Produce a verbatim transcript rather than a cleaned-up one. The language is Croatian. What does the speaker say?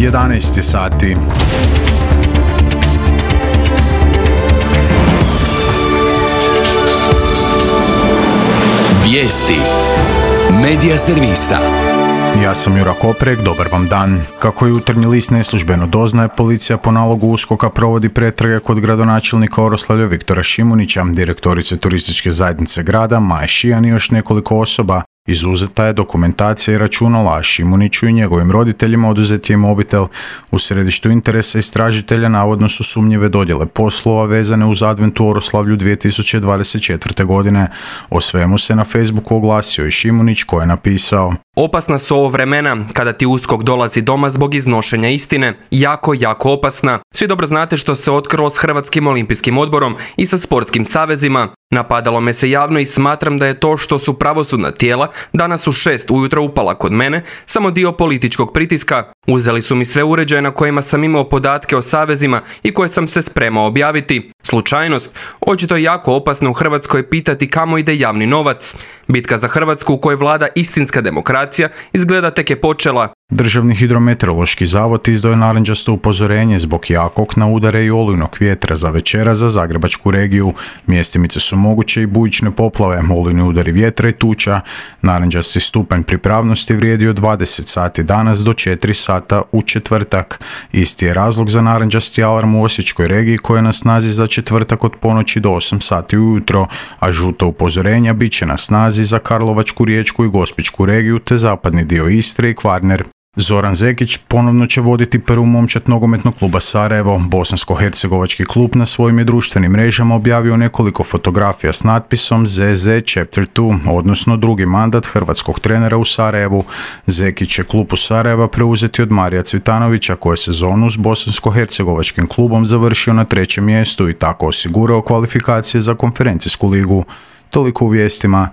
jedanaest je sati. Vijesti Medija servisa. Ja sam Jura Koprek, dobar vam dan. Kako Jutarnji list neslužbeno doznaje, policija po nalogu USKOK-a provodi pretrage kod gradonačelnika Oroslavlja Viktora Šimunića, direktorice turističke zajednice grada Maje Šijan i još nekoliko osoba. Izuzeta je dokumentacija i računala, a Šimuniću i njegovim roditeljima oduzet je mobitel. U središtu interesa istražitelja navodno su sumnjive dodjele poslova vezane uz advent u Oroslavlju dvije tisuće dvadeset četvrte. godine. O svemu se na Facebooku oglasio i Šimunić, koji je napisao: Opasna su ovo vremena kada ti USKOK dolazi doma zbog iznošenja istine. Jako, jako opasna. Svi dobro znate što se otkrilo s Hrvatskim olimpijskim odborom i sa sportskim savezima. Napadalo me se javno i smatram da je to što su pravosudna tijela danas u šest ujutro upala kod mene samo dio političkog pritiska. Uzeli su mi sve uređaje na kojima sam imao podatke o savezima i koje sam se spremao objaviti. Slučajnost? Očito je jako opasno u Hrvatskoj pitati kamo ide javni novac. Bitka za Hrvatsku u kojoj vlada istinska demokracija izgleda tek je počela. Državni hidrometeorološki zavod izdao je narančasto upozorenje zbog jakog na udare i olujnog vjetra za večera za zagrebačku regiju. Mjestimice su moguće i bujične poplave, olujni udari vjetra i tuča. Narančasti stupanj pripravnosti vrijedi od dvadeset sati danas do četiri sata u četvrtak. Isti je razlog za narančasti alarm u Osječkoj regiji koja je na snazi za četvrtak od ponoći do osam sati ujutro, a žuta upozorenja bit će na snazi za Karlovačku, Riječku i Gospićku regiju te zapadni dio Istre i Kvarner. Zoran Zekić ponovno će voditi prvu momčad nogometnog kluba Sarajevo. Bosansko-hercegovački klub na svojim je društvenim mrežama objavio nekoliko fotografija s natpisom Z Z Chapter dva, odnosno drugi mandat hrvatskog trenera u Sarajevu. Zekić će klub u Sarajeva preuzeti od Marija Cvitanovića, koji je sezonu s bosansko-hercegovačkim klubom završio na trećem mjestu i tako osigurao kvalifikacije za konferencijsku ligu. Toliko u vijestima.